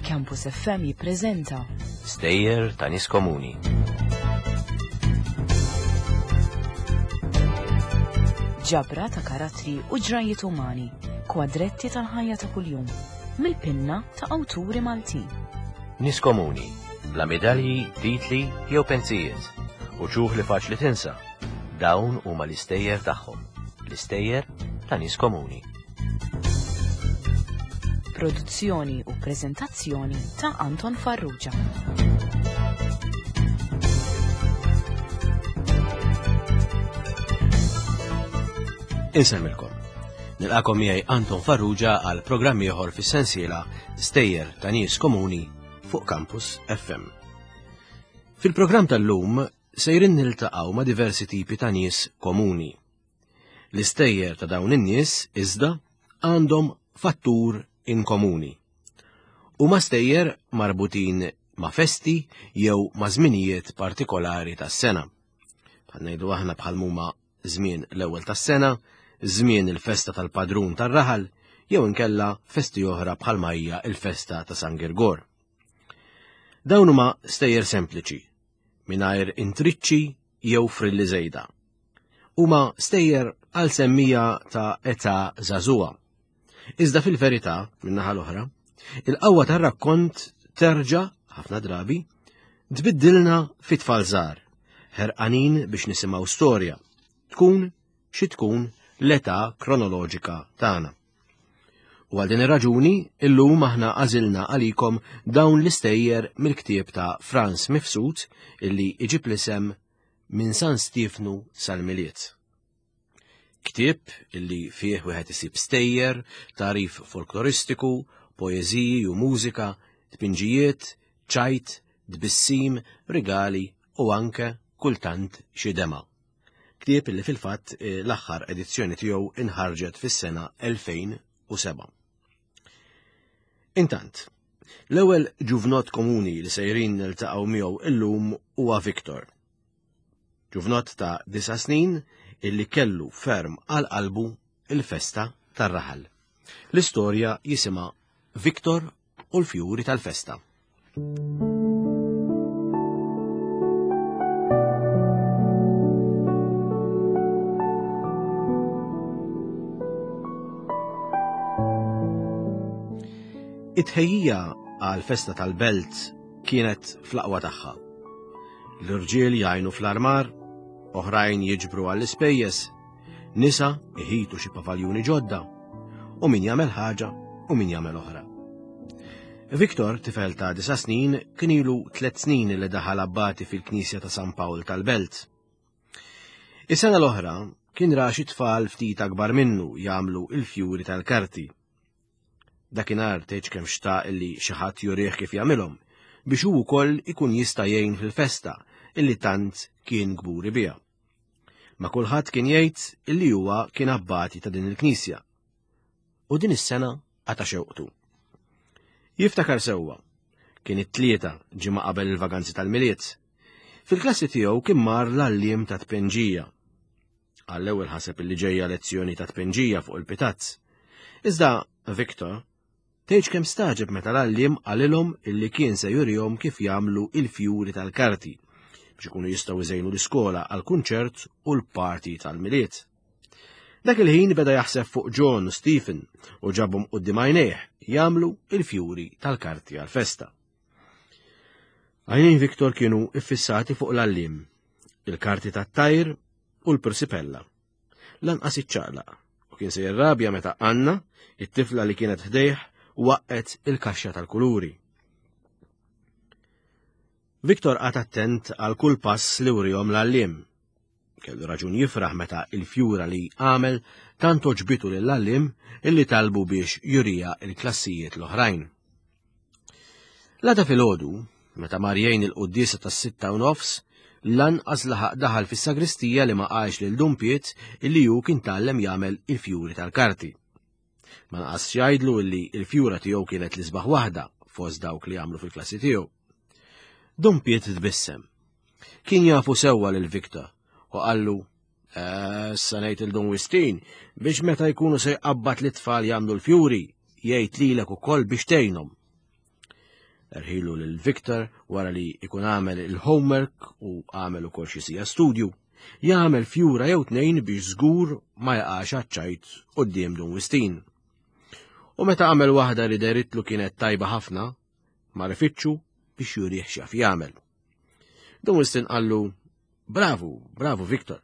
Campus FM jippreżenta Stejjer ta' nies komuni. Ġabra ta' karattri u ġrajiet umani, kwadretti tal-ħajja ta' kuljum, mill-pinna ta' awturi Maltin. Nies komuni, bla medalji, titli jew pensijiet, u ċuħ li faċli tinsa. Dawn huma l-istejjer tagħhom, l-istejjer ta' nies komuni. Produzzjoni u preżentazzjoni ta' Anton Farrugia. Insemmilkom. Nilqakom miegħi Anton Farrugia għal programm ieħor fis-sensiela Stejjer ta' nies komuni fuq Campus FM. Fil-programm tal-lum sejrin niltaqgħu ma' diversi tipi ta' nies komuni. L-istejjer ta' dawn in-nies iżda għandhom fattur in komuni. Huma stejjer marbutin ma' festi jew ma' żminijiet partikolari tas-sena. Bħal ngħidu aħna bħal huma żmien l-ewwel tas-sena, żmien il-festa tal-padrun tar-raħal, jew inkella festi oħra bħal hija il-festa ta' San Girgor. Dawn huma stejjer sempliċi, mingħajr intriċċi jew frilli żejda. Huma stejjer għal semmija ta' età żagħżugħa. Iżda fil-verità, min-naħa l-oħra, il-qawwa tar-rakkont terġa' ħafna drabi tbiddilna fi tfal żgħar, ħerqanin biex nisimgħu storja, tkun xi tkun l-età kronoloġika tagħna. U għal din ir-raġuni, illum aħna għażilna għalikom dawn l-istejjer mill-ktieb ta' Franz Mifsud illi iġib l-isem Minn San Stiefnu sal-Milied. Ktieb illi fih wieħed isib stejjer, tagħrif folkloristiku, poeżiji u mużika, tpinġijiet, ċajt, tbissim, rigali u anke kultant xi dema. Ktieb illi fil-fatt eh, l-aħħar edizzjoni tiegħu inħarġet fis-sena 2007. Intant, l-ewwel ġuvnot komuni li sejrin niltaqgħu miegħu illum huwa Victor. Ġuvnot ta' disa' snin illi kellu ferm għal qalbu il-festa tar-raħal. L-istorja jisimha Victor u l-fjuri tal-festa. It-tħejjija għal festa tal-belt kienet fl-aqwa tagħha. L-irġiel jgħinu fl-armar, oħrajn jiġbru għall-ispejjeż, nisa iħitu xi pavaljuni ġodda, u min jagħmel ħaġa u min jagħmel oħra. Victor, tifel ta' disa snin, kien ilu tliet snin li daħal abbati fil-Knisja ta' San Pawl tal-Belt. Is-sena l-oħra kien ra xi tfal ftit akbar minnu jagħmlu il-fjuri tal-karti. Dakinhar tgħidx kemm xtaq illi xi ħadd jurih kif jagħmilhom biex hu wkoll ikun jista' jgħin fil-festa illi tant kien kburi biha. Ma kulħadd kien jgħid illi huwa kien abbati ta' din il-knisja. U din is-sena qata' xewqtu. Jiftakar sewwa, kien it-tlieta ġimgħa qabel il-vaganzi tal-Milied. Fil-klassi tiegħu kien mar l-għalliem ta' tpenġija. Għall-ewwel ħaseb illi ġejja lezzjoni ta' tpenġija fuq il-pitazz. Iżda Victor tgħidx kemm staġeb meta l-għalliem qalilhom illi kien se jurihom kif jagħmlu il-fjuri tal-karti biex ikunu jistgħu jżejnu l-iskola għal kunċert u l-party tal-Milied. Dak il-ħin beda jaħseb fuq John u Stephen u ġabhom quddiem għajnejh jagħmlu il-fjuri tal-karti għal-festa. Għajnejn Victor kienu iffissati fuq l-għalliem, il-karti tat-tajr u l-persipella. Lanqas iċċaqlaq u kien se jirrabja meta Anna, it-tifla li kienet ħdejh, waqqet il-kaxxa tal-kuluri. Victor qagħad attent għal kull pass li wrihom l-għalliem. Kellu raġun jifraħ meta il-fjura li għamel tant oġbitu lill-għalliem illi talbu biex jurija il-klassijiet l-oħrajn. L-għada filgħodu, meta mar jgħin il-quddiesa tas-6:30, lanqas laħaq daħal fis-sagristija li ma qalx lil Dun Piet illi hu kien tgħallem jagħmel il-fjuri tal-karti. Ma naqas jgħidlu illi il-fjura tiegħu kienet l-isbaħ waħda fost dawk li għamlu fil-klassi tiegħu. Dun Piet tbissem. Kien jafu sewwa lil Victor u qallu. Issa ngħid il Dun Wistin biex meta jkunu se jqabbad li tfal jagħmlu l-fjuri, jgħid lilek ukoll biex tgħinhom. Erħilu lil Victor wara li jkun għamel il-homework u għamel ukoll xi sija studju. Jagħmel fjura jew tnejn biex żgur ma jaqax għaċ-ċajt quddiem Dun Wistin. U meta għamel waħda li deritlu kienet tajba ħafna, mar ifittxu biex jurih x'jaf jagħmel. Dun Wistin qallu, Bravu, bravu Victor,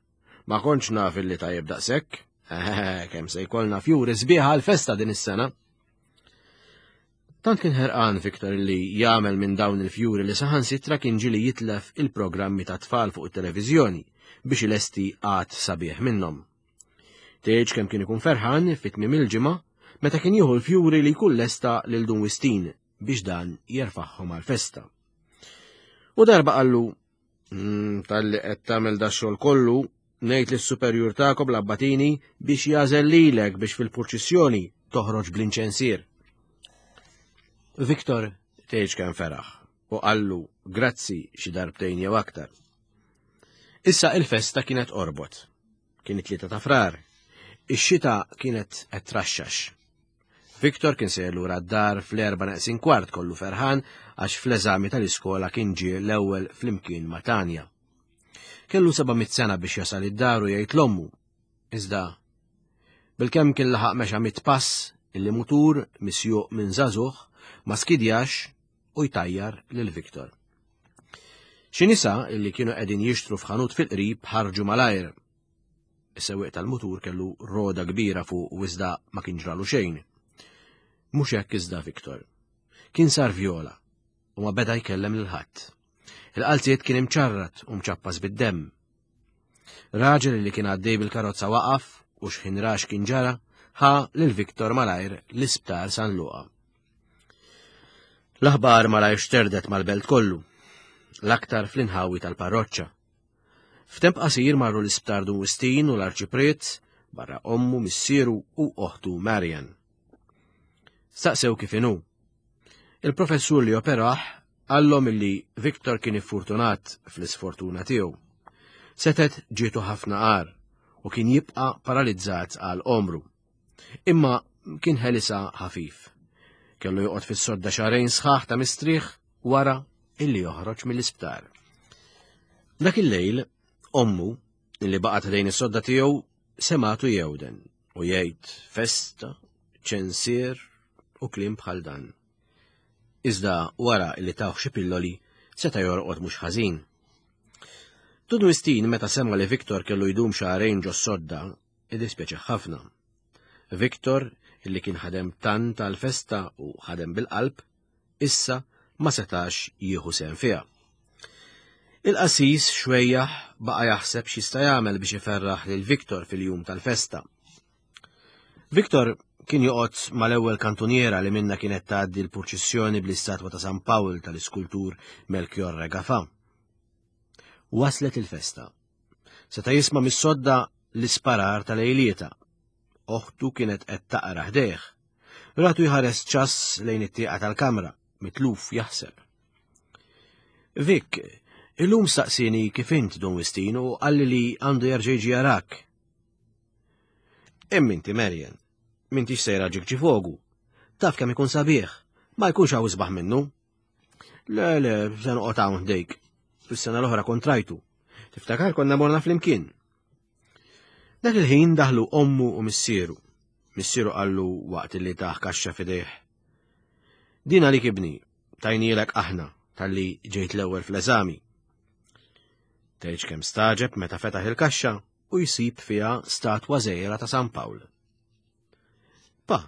ma kontx naf illi tajjeb daqshekk. Kemm se jkollna fjuri sbieħa għal-festa din is-sena. Tant kien ħerqan Victor li jagħmel minn dawn il-fjuri li saħansitra kien ġieli jitlef il-programmi ta' tfal fuq it-televiżjoni biex ilesti għad sabiħ minnhom. Tgħidx kemm kien ikun ferħan fi tmiem il-ġimgħa meta kien jieħu l-fjuri li jkun lesta lil Dun Wistin biex dan jerfagħhom għall-festa. U darba qallu, Talli qed tagħmel da xogħol kollu, ngħid lis-superjur tagħkom l-abbatini biex jagħżel lilek biex fil-purċissjoni toħroġ bl-inċensier. Victor tgħidx kemm feraħ u qallu grazzi xi darbtejn jew aktar. Issa il-festa kienet qorbot. Kien it-tlieta ta' frar. Ix-xita kienet qed traxxax. Victor kien sejjer lura d-dar fl-erba' neqsin kwart kollu ferħan għax fl-eżami tal-iskola kien ġie l-ewwel flimkien ma' Tanja. Kellu 700 sena biex jasal id-dar u jgħid l-ommu. Iżda, bilkemm kien laħaq mexa mit pass illi mutur misjuq minn żagħżugħ ma skidjax u jtajjar lil Victor. Xi nisa illi kienu qegħdin jixtru f'ħanut fil-qrib ħarġu malajr Is-sewwieq tal-mutur kellu roda kbira fuq u iżda ma kien ġralu xejn. Mhux hekk iżda Victor. Kien sar vjola u ma beda jkellem lil ħadd. Il-qalziet kien imċarrat u mċappas bid-demm. Raġel li kien għaddej bil-karozza waqaf u xħin rax kien ġara, ħa lil Victor malajr l-isptar San Luqa. L-aħbar malajr xterdet mal-belt kollu, l-aktar fl-inħawi tal-parroċċa. F'temp qasir marru l-isptar Dun Wistin u l-Arċipriet, barra ommu, missieru u oħtu Marian. Staqsew kif inhu. Il-professur li operah qallhom illi Victor kien iffurtunat fl-isfortuna tiegħu. Setet ġietu ħafna qar u kien jibqa' paralizzat għal omru. Imma kien ħelisa ħafif. Kellu joqgħod fis-sodda xahrejn sħaħ ta' mistrieħ wara illi joħroġ mill-isptar. Dak il-lejl, ommu, illi baqgħet ħdejn is-sodda tiegħu, sematu jewden u jgħid festa, ċensier u kliem bħal dan. Iżda wara illi tawh xi pilloli seta' jorqod mhux ħażin. Dun Wistin meta sema li Victor kellu jdum xahrejn ġos sodda, iddispjaċih ħafna. Victor, illi kien ħadem tant għall-festa u ħadem bil-qalb, issa ma setax jieħu sehem fiha. Il-qassis xwejjaħ baqa' jaħseb x'jista' jagħmel biex iferraħ lil Victor fil-jum tal-festa. Victor kien joqgħod mal-ewwel kantuniera li minna kienet tgħaddi l-purċissjoni bl-istatwa ta' San Pawl tal-iskultur Melchior Regafa. Waslet il-festa. Seta' jisma' mis-sodda l-isparar tal-ejlieta. Oħtu kienet qed taqra ħdejh. Ratu jħares ċass lejn it-tieqa tal-kamra, mitluf jaħseb. Vic, illum staqsini kif int Dun Wistin u qalli li għandu jerġa' jiġi jarak. Imma inti Marian, m'intix sejra ġikġifogu. Taf kemm ikun sabiħ, ma jkunx hawn isbaħ minnu. Le, le, se noqgħod hawn ħdejk. Fis-sena l-oħra kontrajtu. Tiftakar konna morna flimkien. Dak il-ħin daħlu ommu u missieru. Missieru qallu waqt li taħ kaxxa fidejh. Din għalik ibni, tajnielek aħna talli ġejt l-ewwel fl-eżami. Tgħidx kemm staġeb meta fetaħ il-kaxxa u jsib fiha statwa żgħira ta' San Pawl. Pa,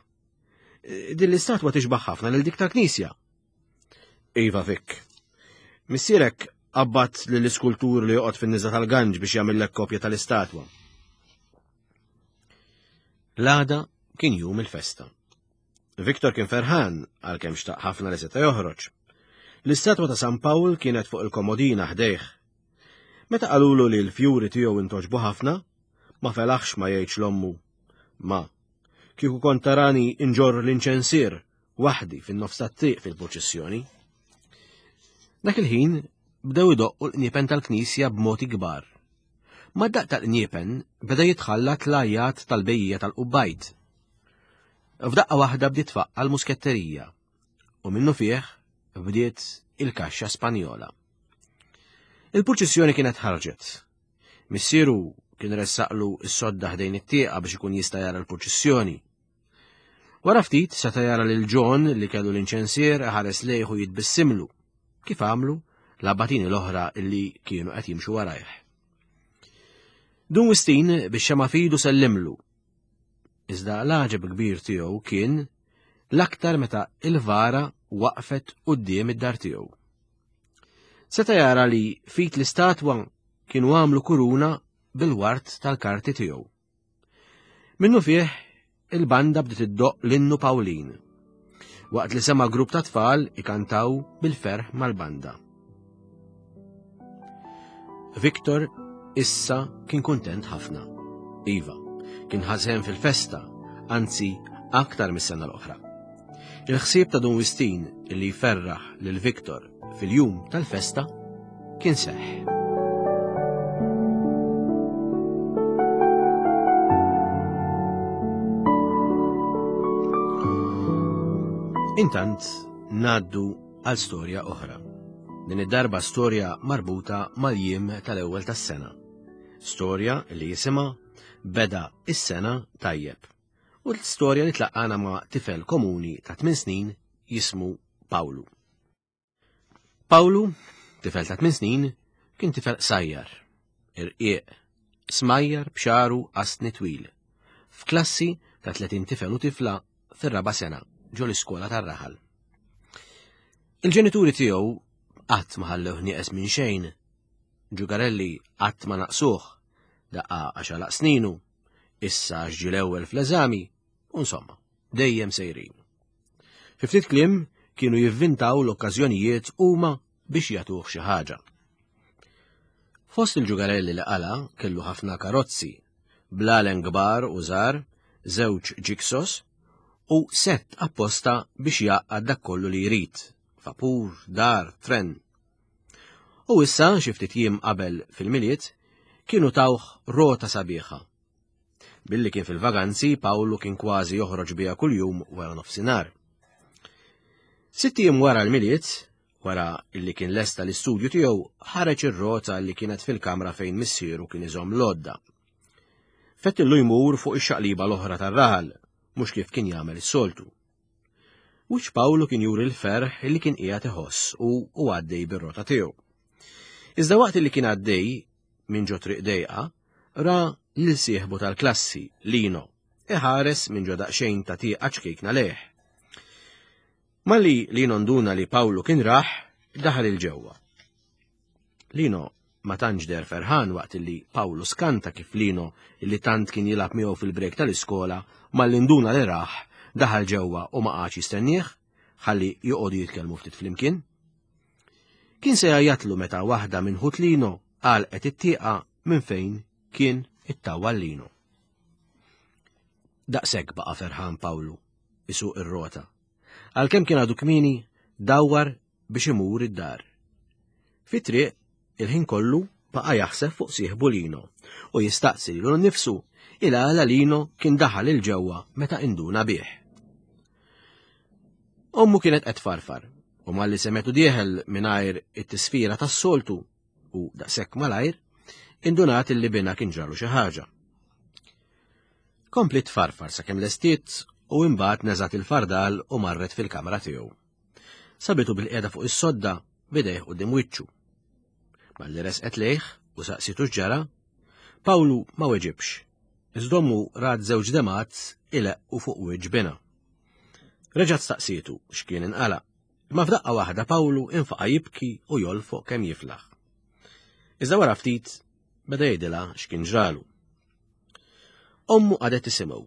din l-istatwa tixbaħ ħafna lil dik tal-knisja. Iva Vic. Missierek qabbat lill-iskultur li joqgħod fin-niża tal-ganġ biex jagħmillek kopja tal-istatwa. L-għada kien jum il-festa. Victor kien ferħan għalkemm xtaq ħafna li seta' joħroġ. L-istatwa ta' San Pawl kienet fuq il-komodina ħdejh. Meta qalulu li l-fjuri tiegħu intoġbu ħafna, ma felaħx ma jgħidx l-ommu. Ma, kieku kont tarani inġorr l-inċensier waħdi fin-nofs tat-triq fil-purċissjoni. Dak il-ħin bdew idoqqu l-qniepen tal-knisja b'mod ikbar. Mad-daqq tal-qniepen beda jitħallat l-għajjat tal-bejjiegħa tal-qubbajt. F'daqqa waħda bdiet tfaqqa' l-musketterija u minnufih bdiet il-kaxxa Spanjola. Il-purċissjoni kienet ħarġet. Missieru kien ressaqlu s-sodda ħdejn it-tieqa biex ikun jista' jara l-purċissjoni. Wara ftit seta' jara lil John li kellu l-inċensier ħares lejh u jitbissimlu, kif għamlu l-abbatini l-oħra li kienu qed jimxu warajh. Dun Wistin biex xema fidu sellimlu. Iżda l-għaġeb kbir tiegħu kien l-aktar meta il-vara waqfet quddiem id-dar tiegħu. Seta' jara li fit l-istatwa kienu għamlu kuruna bil-wart tal-karti tiegħu. Minnu fih, il-banda bdiet iddoqq l-innu Pawlin, waqt li sema' grupp ta' tfal ikantaw bil-ferħ mal-banda. Victor issa kien kuntent ħafna. Iva, kien ħażen fil-festa, anzi aktar mis-sena l-oħra. Il-ħsieb ta' Dun Wistin li jferraħ lil Victor fil-jum tal-festa kien seħħ. Intant naddu għal storja oħra. Din id-darba storja marbuta mal-jiem tal-ewwel tas-sena. Storja li jisimha Beda is-sena tajjeb. U l-storja li tlaqqana ma' tifel komuni ta' 8 snin jismu Pawlu. Pawlu, tifel ta' 8 snin, kien tifel qsajjar, irqiq, smajjar b'xaru qasni twil, f'klassi ta' 30 tifel u tifla fir-raba' sena ġo l-iskola tar-raħal. Il-ġenituri tiegħu qatt ma ħallewh nieqes minn xejn, ġugarelli qatt ma naqsuh, daqqa għax għalaq sninu, issa għax ġie l-ewwel fl-eżami, u insomma, dejjem sejrin. Fi ftit kliem kienu jivvintaw l-okkażjonijiet huma biex jagħtuh xi ħaġa. Fost il-ġugarelli li qala kellu ħafna karozzi, blalen kbar u żgħar, żewġ ġiksos u sett apposta biex jgħaqqad dak kollu li jrid, vapur, dar, tren. U issa xi ftit jiem qabel fil-Milied kienu tawh rota sabiħa Billi kien fil-vaganzi, Pawlu kien kważi joħroġ biha kuljum wara nofsinhar. Sitt ijiem wara l-Milied, wara illi kien lesta l-istudju tiegħu, ħareġ ir-rota li kienet fil-kamra fejn missieru kien iżomm l-għodda. Fettillu jmur fuq ix-xaqliba l-oħra tar-raħal, mhux kif kien jagħmel is-soltu. Wiċċ Pawlu kien juri l-ferħ li kien qiegħed iħoss u u għaddej bir-rota tiegħu. Iżda waqt li kien għaddej minn ġo triq dejqa, ra lil sieħbu tal-klassi, Lino, iħares minn ġo daqsxejn ta' tieqa ċkejkna lejh. Malli Lino nduna li Pawlu kien raħ, daħal il ġewwa. Lino ma tantx deher ferħan waqt li Pawlu skanta kif Lino li tant kien jilgħab miegħu fil-brejk tal-iskola malli nduna li raħ, daħal ġewwa u ma qagħadx jistennieh ħalli joqogħdu jitkellmu ftit flimkien. Kien se jgħajjatlu meta waħda minn ħut Lino għalqet it-tieqa minn fejn kien ittawwal Lino. Daqshekk baqa' ferħan Pawlu isuq ir-rota. Għalkemm kien għadu kmieni, dawwar biex imur id-dar. Fit-triq, il-ħin kollu baqa' jaħseb fuq sieħbu Lino u jistaqsi lilu nnifsu il għala Lino kien daħal il ġewwa meta induna bih. Ommu kienet qed farfar u malli semetu dieħel mingħajr it-tisfira tas-soltu u daqshekk malajr, indunat illi binha kien ġralu xi ħaġa. Kompliet tfarfar sakemm lestiet u imbagħad neżgħet il-fardal u marret fil-kamra tiegħu. Sabitu bil-qiegħda fuq is-sodda b'idejh quddiem wiċċu. Malli resqet lejh u saqsitu x'ġara, Pawlu ma weġibx. Iżda ommu rat żewġ demgħat ileqqu fuq wiċċ binha. Reġgħet staqsietu x'kien inqala', imma f'daqqa waħda Pawlu infaqa' jibki u jolfoq kemm jiflaħ. Iżda wara ftit beda jgħidilha x'kien ġralu. Ommu qagħdet tisimgħu.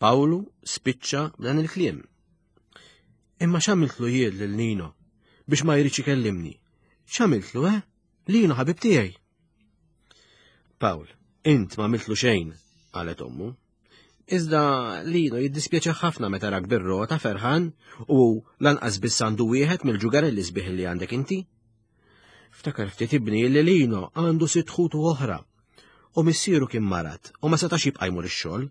Pawlu spiċċa b'dan il-kliem. Imma x'għamiltlu jien lil Nino biex ma jridx ikellimni? X'għamiltlu, eh? Lino ħabib tiegħi. Pawl, int ma għamiltlu xejn, qalet ommu. Iżda Lino jiddispjaċi ħafna meta rak bir-rota ferħan u lanqas biss għandu wieħed mill-ġugarelli sbieħ li għandek inti. Ftakar ftit ibni li Lino għandu sitt ħutu oħra. U missieru kien marad u ma setax jibqa' jmur ix-xogħol.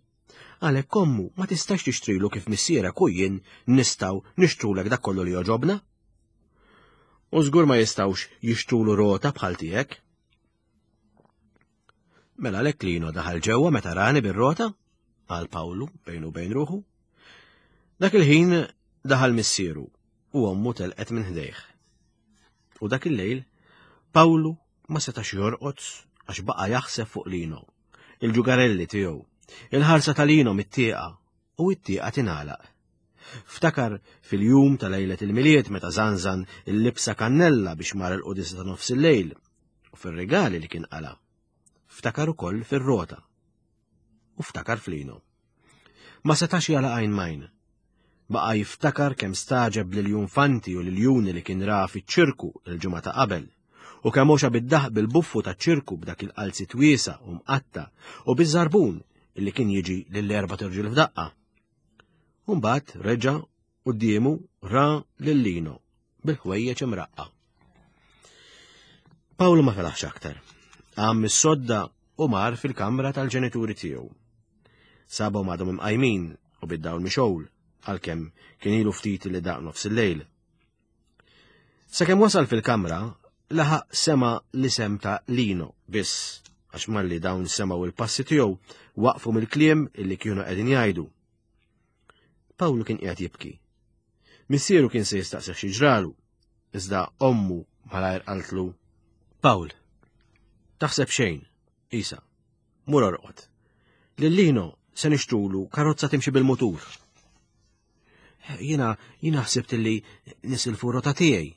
Għalhekk ommu ma tistax tixtrilu kif missierek u jien nistgħu nixtrulek dak kollu li jogħġobna. U żgur ma jistgħux jixtrulu rota bħal tiegħek. Mela lek Lino daħal ġewwa meta rani bir-rota, qal Pawlu bejnu bejn ruħu. Dak il-ħin daħal missieru u ommu telqet minn ħdejh. U dak il-lejl, Pawlu ma setax jorqod għax baqa' jaħseb fuq Lino, il-ġugarelli tiegħu, il-ħarsa ta' Lino mit-tieqa u t-tieqa tingħalaq. Ftakar fil-jum ta' lejlet il-Milied meta żanżan il-libsa kannella biex mar il-qudisa ta' nofs il-lejl u fir-rigali li kien qala. Ftakar ukoll fir-rota u ftakar f'Lino. Ma setax jagħlaq għajn m'għajn. Baqa' jiftakar kemm stagħġeb bl-iljunfanti u l-iljuni li kien ra fiċ-ċirku il-ġimgħa ta' qabel, u kemm għoxa bid-daħq bil-buffu taċ-ċirku b'dak il-qalziet wiesa' u mqatta' u biż-żarbun illi kien jiġi lill-erbat irġiel f'daqqa. U mbagħad reġa' quddiemu ra lil Lino bil-ħwejjeġ imraqqa. Pawlu ma felaħx aktar. Qam mis-sodda u mar fil-kamra tal-ġenituri tiegħu. Sabhom għadhom imqajmin u bid-dawl mixgħul għalkemm kien ilu ftit li daq nofs il-lejl. Sakemm wasal fil-kamra, laħaq sema l-isem ta' Lino biss, għax malli dawn semgħu il-passi tiegħu waqfu mill-kliem illi kienu qegħdin jgħidu. Pawlu kien qiegħed jibki. Missieru kien se jistaqsih xi ġralu, iżda ommu malajr qaltlu, Pawl, taħseb xejn, isa, mur orqod. Lil Lino se nixtrulu karozza timxi bil-mutur. Jiena jiena ħsibt li nisilfu rota tiegħi.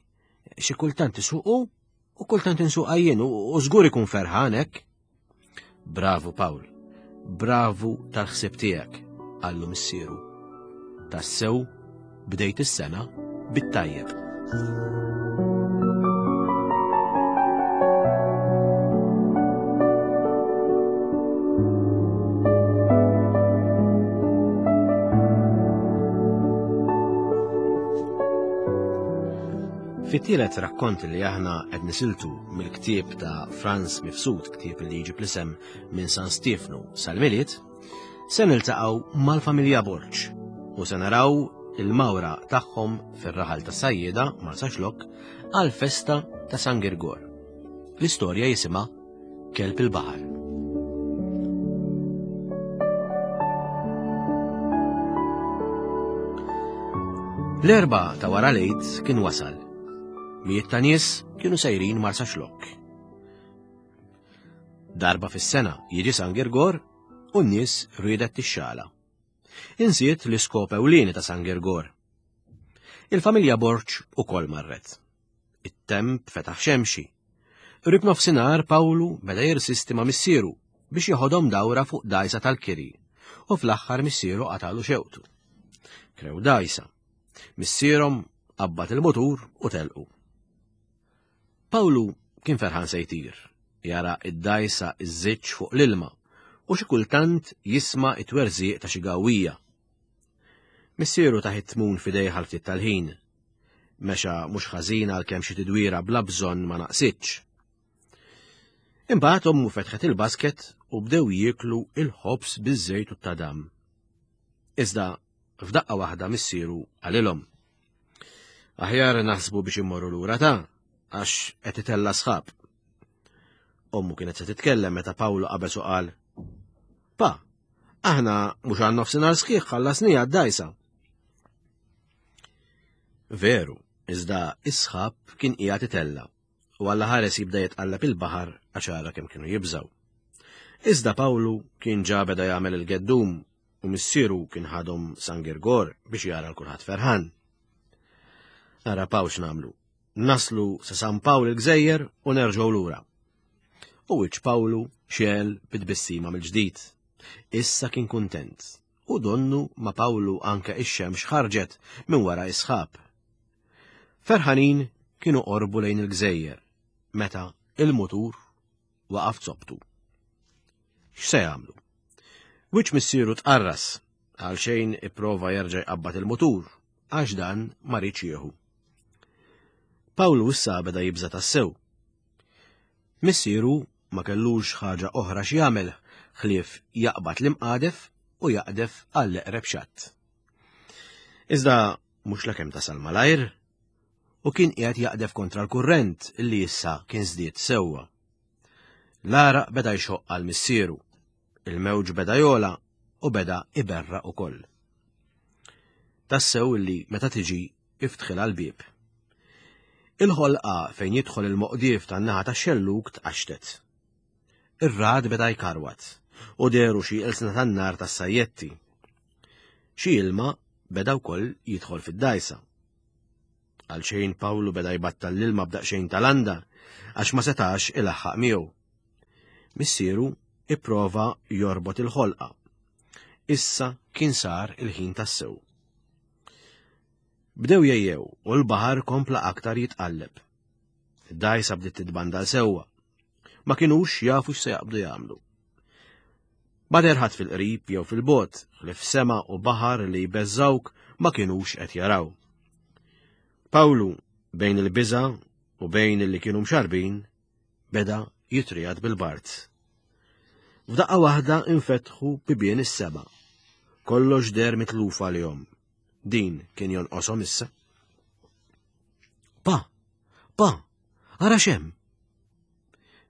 Xi kultant isuqu u kultant insuqha jien u żgur ikun ferħan hekk. Bravu Pawl, bravu tal-ħsieb tiegħek, qallu missieru. Tassew bdejt is-sena bit-tajjeb. Fit-tielet rakkont li aħna qed nisiltu mill-ktieb ta' Franz Mifsud, ktieb li jġib l-isem minn San Stiefnu sal-Milied, se niltaqgħu mal-familja Borg u se naraw il-mawra tagħhom fir-raħal ta' Sajjeda Marsaxlokk għall-festa ta' San Girgor. L-istorja jisimha Kelb il-Baħar. L-Erbgħa ta' wara l-Għid kien wasal. Mijiet ta' nies kienu sejrin Marsaxlokk. Darba fis-sena jiġi San Girgor u n-nies riedet tixxala. Insiet l-iskop ewlieni ta' San Girgor. Il-familja Borg ukoll marret. It-temp fetaħ xemxi. Qrib nofsinhar Pawlu beda jirsisti ma' missieru biex jeħodhom dawra fuq dgħajsa tal-kiri u fl-aħħar missieru qatalu xewqtu. Krew dgħajsa. Missierhom qabbad il-mutur u telqu. Pawlu kien ferħan se jtir, jara id-dgħajsa iżżiġġ fuq l-ilma u xi kultant jisma' it-twerżiq ta' xi gawwija. Missieru tah it-tmun f'idejh għal ftit tal-ħin. Mexa mhux ħażin għalkemm xi tidwira bla bżonn ma naqsitx. Imbagħad ommu fetħet il-basket u bdew jieklu il-ħobż biż-żejt u t-tadam. Iżda f'daqqa waħda missieru qalilhom. Aħjar naħsbu biex immorru lura ta' għax qed itella' sħab. Ommu kienet se titkellem meta Pawlu qabeż u qal, Pa, aħna mhux għan nofsinhar sħiħ ħallasniha d-dajsa. Veru, iżda is-sħab kien qiegħed itella' u Alla ħares jibda jitqalleb il-baħar għax ara kemm kienu jibżgħu. Iżda Pawlu kien ġa beda jagħmel il-geddum u missieru kien ħadhom San Girgor biex jara l kulħadd ferħan. Ara Pawl x'nagħmlu. Naslu sa San Pawl il-Gżejjer u nerġgħu lura. U wiċċ Pawlu xegħel bit-tbissima mill-ġdid. Issa kien kuntent u donnu ma' Pawlu anke ix-xemx ħarġet minn wara is-sħab. Ferħanin kienu qorbu lejn il-gżejjer meta il-mutur waqaf zobtu. X'se jagħmlu? Wiċċ missieru tqarras għal xejn ipprova jerġa' jqabbad il-mutur għax dan ma riedx jieħu. Pawlu issa beda jibża' tassew. Missieru ma kellux ħaġa oħra x'jagħmel ħlief jaqbad l-imqadef u jaqdef għall-eqreb xatt. Iżda mhux lakemm tasal malajr u kien qiegħed jaqdef kontra l-kurrent li issa kien żdied sewwa. L-għaraq beda jxoqq għal missieru, il-mewġ beda jola u beda iberra ukoll. Tassew li meta tiġi iftħilha l-bieb. Il-ħolqa fejn jidħol il-moqdief tan-naħa tax-xellug tqaxtet. Ir-rad beda jkarwat u dehru xi ilsna tan-nar tas-sajjetti. Xi ilma beda wkoll jidħol fid-dgħajsa. Għalxejn Pawlu beda jbattal l-ilma b'daqsxejn ta' landa għax ma setax ilaħħaq miegħu. Missieru ipprova jorbot il-ħolqa. Issa kien sar il-ħin tassew. Bdew jejjew u l-baħar kompla aktar jitqalleb. Id-dgħajsa bdiet titbandal sewwa. Ma kinux jafu x'se jaqbdu jagħmlu. Ma deher ħadd fil-qrib jew fil-bogħod, ħlief sema u baħar li jbeżżgħuk ma kinux qed jaraw. Pawlu, bejn il-biża' u bejn li kienu mxarbin, beda jitrijat bil-bard. F'daqqa waħda infetħu bibien is-sema. Kollox deher mitluf għalihom. Din kien jonqoshom issa. Pa, pa, ara xem!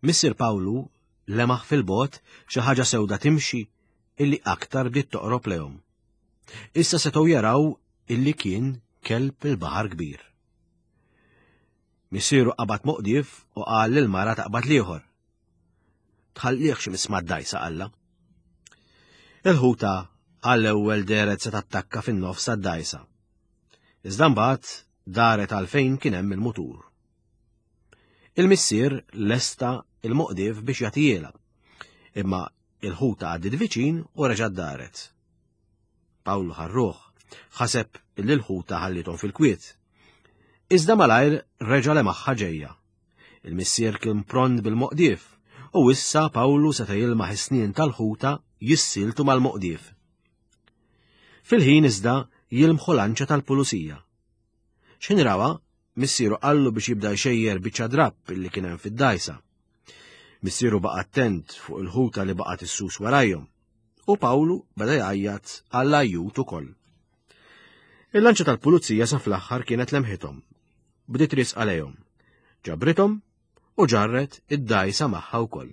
Missier Pawlu lemaħ fil-bogħod xi ħaġa sewda timxi illi aktar bdiet toqrob lejhom. Issa setgħu jaraw illi kien kelb il-baħar kbir. Missieru qabad moqdief u qal lil mara taqbad l-ieħor. Tħallihx imiss mad-dgħajsa qalla. Il-ħuta għall-ewwel dehret se tattakka fin-nofs tad-dgħajsa. Iżda mbagħad daret għal fejn kien hemm il-mutur. Il-missier lesta il-moqdief biex jagħtijielha. Imma il-ħuta għaddiet viċin u reġgħet daret. Pawlu ħarruh, ħaseb li l-ħuta ħallithom fil-kwiet. Iżda malajr reġa' lemaħħa ġejja. Il-missier kien pront bil-moqdief u issa Pawlu seta' jilmaħ is-snien tal-ħuta jissiltu mal-moqdief. Fil-ħin iżda jilmħu lanċa tal-pulizija. X'ħin rawa, missieru qallu biex jibda jxejjer biċċa drapp illi kien hemm fid-dgħajsa. Missieru baqa' attent fuq il-ħuta li baqgħet issus warajhom u Pawlu beda jgħajjat għall-ajjut ukoll. Il-lanċa tal-pulizija sa fl-aħħar kienet lemħithom. Bdiet risqa lejhom. Ġabrithom u ġarret id-dgħajsa magħha wkoll.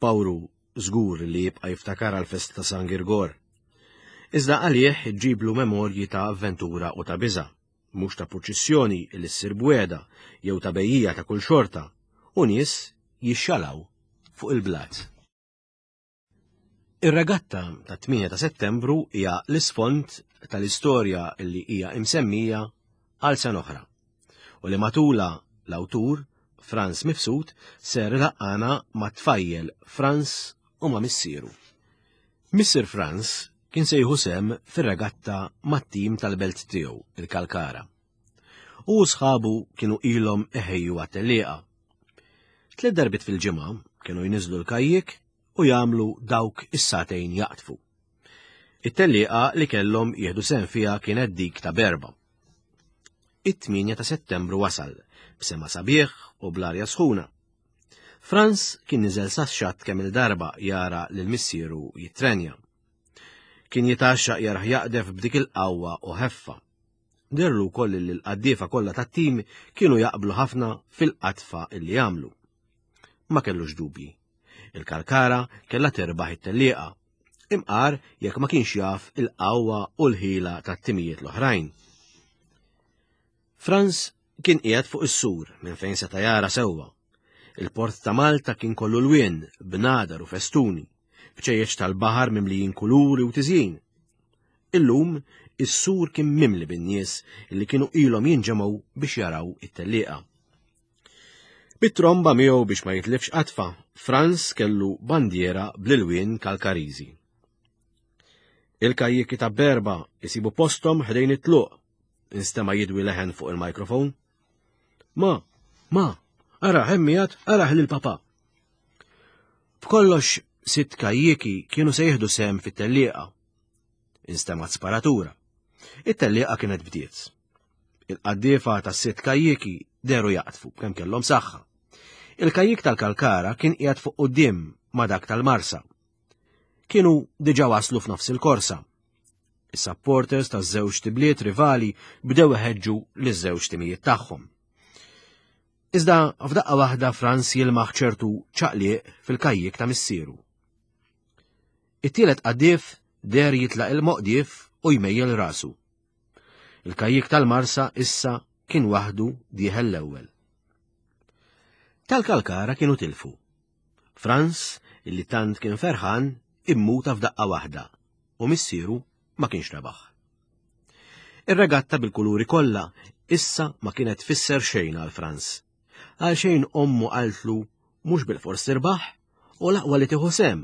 Pawlu żgur li jibqa' jiftakar għall-festa ta' San Girgor. Iżda għalih ġġiblu memorji ta' avventura u ta' biża', mhux ta' purċissjoni li ssir b'wegħda jew ta' bejjiegħa ta' kull xorta u nies jixxalaw fuq il-blat. Ir-regatta tat-8 ta' Settembru hija l-isfond tal-istorja li hija imsemmija għal sena oħra u li matulha l-awtur Frans Mifsud ser ilaqqana mat-tfajjel Frans u ma' missieru. Missier Frans kien se jieħu sehem fir-regatta mat-tim tal-belt tiegħu, il-Kalkara. U sħabu kienu ilhom iħejju għat-tellieqa. Tliet darbiet fil-ġimgħa kienu jniżlu l-kajjik u jagħmlu dawk is-sagħtejn jaqdfu. It-tellieqa li kellhom jieħdu sehem fiha kienet dik ta' berba. It-8 ta' Settembru wasal, b'sema sabiħ u bl-arja sħuna. Franz kien niżel sax-xatt kemm il-darba jara lil missieru jittrenja. Kien jitgħaxxaq jarah jaqdef b'dik il-qawwa u ħeffa. Dehrlu wkoll li l-qaddiefa kollha tat-tim kienu jaqblu ħafna fil-qadfa li jagħmlu. Ma kellux dubji. Il-Kalkara kellha terbaħ it-tellieqa. Imqar jekk ma kienx jaf il-qawwa u l-ħila tat-timijiet l-oħrajn. Franz kien qiegħed fuq is-sur minn fejn seta' jara sewwa. Il-port ta' Malta kien kollu lwien, bnadar u festuni, bċejjeċ tal-baħar mimlijin kuluri u tiżjin. Illum, is-sur kien mimli bin-nies li kienu ilhom jinġemgħu biex jaraw it-tellieqa. Bit-tromba miegħu biex ma jitlifx qatfa, Franz kellu bandiera bl-ilwien Kalkariżi. Il-kajjiki ta' berba isibu posthom ħdejn it-tluq, instema' jidwi leħen fuq il-mikrofon. Ma, ma, ara hemmijat, ara lil papa. B'kollox sitt kajjiki kienu se jieħdu sehem fit-tellieqa. Instemgħet sparatura. It-tellieqa kienet bdiet. Il-qaddiefa tas-sitt kajjiki dehru jaqdfu kemm kellhom saħħa. Il-kajjik tal-Kalkara kien qiegħed fuq quddiem ma' dak tal-Marsa. Kienu diġà waslu f'nofs il-korsa. Is-supporters taż-żewġ tibliet rivali bdew iħeġġu liż-żewġ timijiet tagħhom. Iżda f'daqqa waħda Franz jilmaħ ċertu ċaqliq fil-kajjik ta' missieru. It-tielet qaddif der jitlaq il-moqdief u jmejjel rasu. Il-kajjik tal-Marsa issa kien waħdu dieħel l-ewwel. Tal-Kalkara kienu tilfu. Franz, illi tant kien ferħan, immuta f'daqqa waħda u missieru ma kienx rebaħ. Ir-regatta bil-kuluri kollha issa ma kienet tfisser xejn għal Franz. Għal xejn ommu qaltlu mhux bil-fors tirbaħ u l-aqwa li tieħu sehem.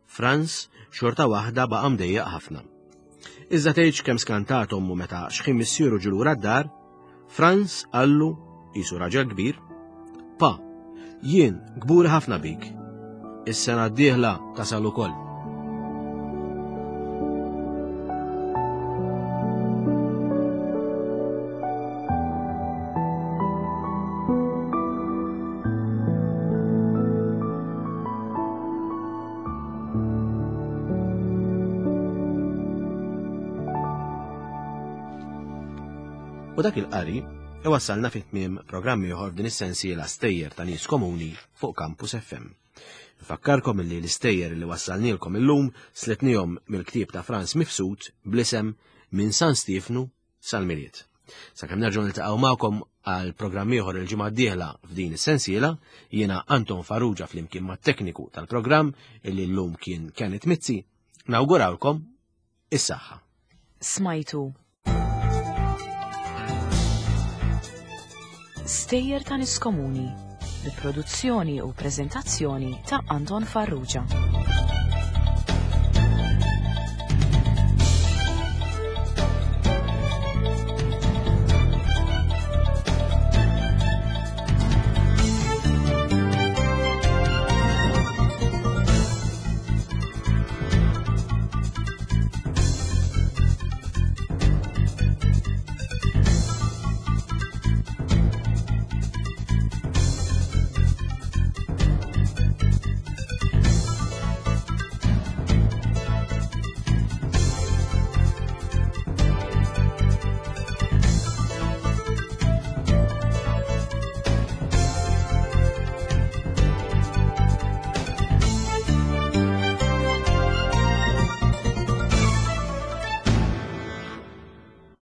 Franz xorta waħda baqa' mdejjaq ħafna. Iżda tgħidx kemm skantat ommu meta xħin missieru ġie lura d-dar, Franz qallu qisu raġel kbir, Pa, jien kburi ħafna bik. Is-sena d-dieħla tasal ukoll. U dak il-qari iwassalna fi tmiem programm ieħor f'din is-sensiela stejjer ta' nies komuni fuq Campus FM. Nfakkarkom illi l-istejjer li wassalnielkom illum sletnihom mill-ktieb ta' Franz Mifsud bl-isem Minn San Stiefnu sal-Milied. Sakemm nerġgħu niltaqgħu magħkom għal programm ieħor il-ġimgħa d-dieħla f'din is-sensiela, jiena Anton Farrugia flimkien mat-tekniku tal-programm illi llum kien Kenneth Mizzi, nawgurawlkom is-saħħa. Smajtu Stejjer ta' Nies Komuni bi produzzjoni u preżentazzjoni ta' Anton Farrugia.